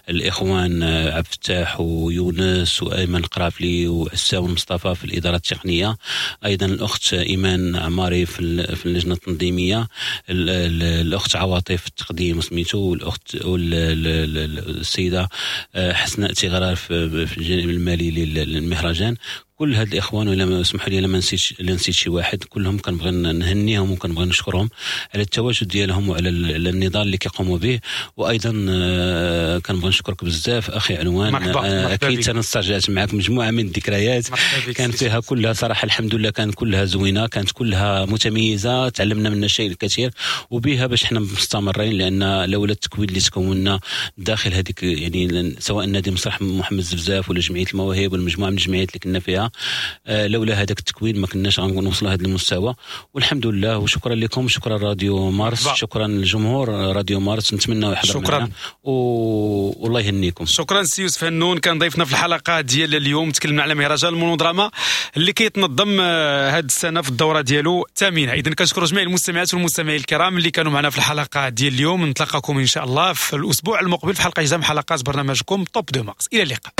الاخوان آه، عبد الفتاح ويونس وايمن القرافلي وعساو مصطفى في الادارة التقنيه، ايضا الاخت ايمان عماري في ال- في اللجنة التنظيميه، ال- ال- الاخت عواطف في التقديم سميتو، والاخت والسيدة حسناء تيغرار في في الجانب المالي لل- للمهرجان. كل هاد الاخوان، ولا ما اسمحوا لي لما نسيت لا نسيت شي واحد، كلهم كنبغي نهنيهم وكنبغي نشكرهم على التواجد ديالهم وعلى ال- على النضال اللي كيقوموا به. وايضا آه، كنبغي نشكرك بزاف اخي علوان. مرحبا، آه، مرحبا اكيد بك. انا استرجعت معك مجموعة من الذكريات مرحبا بك كان سي فيها كلها صراحة الحمد لله كان كلها زوينه، كانت كلها متميزه، تعلمنا منها الشيء الكثير وبها باش حنا مستمرين، لان لولا التكوين اللي تكوننا داخل هذيك يعني سواء نادي مسرح محمد زفزاف ولا جمعية المواهب ولا مجموعة من الجمعيات اللي كنا فيها، آه، لولا هذاك التكوين ما كناش غنوصلوا لهذا المستوى والحمد لله. وشكرا لكم، شكرا راديو مارس. مرحبا. شكرا للجمهور راديو مارس، نتمنى يحضر شكراً. معنا و... والله يهنيكم. شكرا سي يوسف هنون، كان ضيفنا في الحلقة ديال اليوم. تكلمنا على مهرجان المونودراما اللي كيتنظم هذه السنة في الدورة ديالو الثامنه. اذا كنشكر جميع المستمعات والمستمعين الكرام اللي كانوا معنا في الحلقة ديال اليوم. نتلاقاكم ان شاء الله في الاسبوع المقبل في حلقة جديدة من حلقات برنامجكم Top de Mars. الى اللقاء.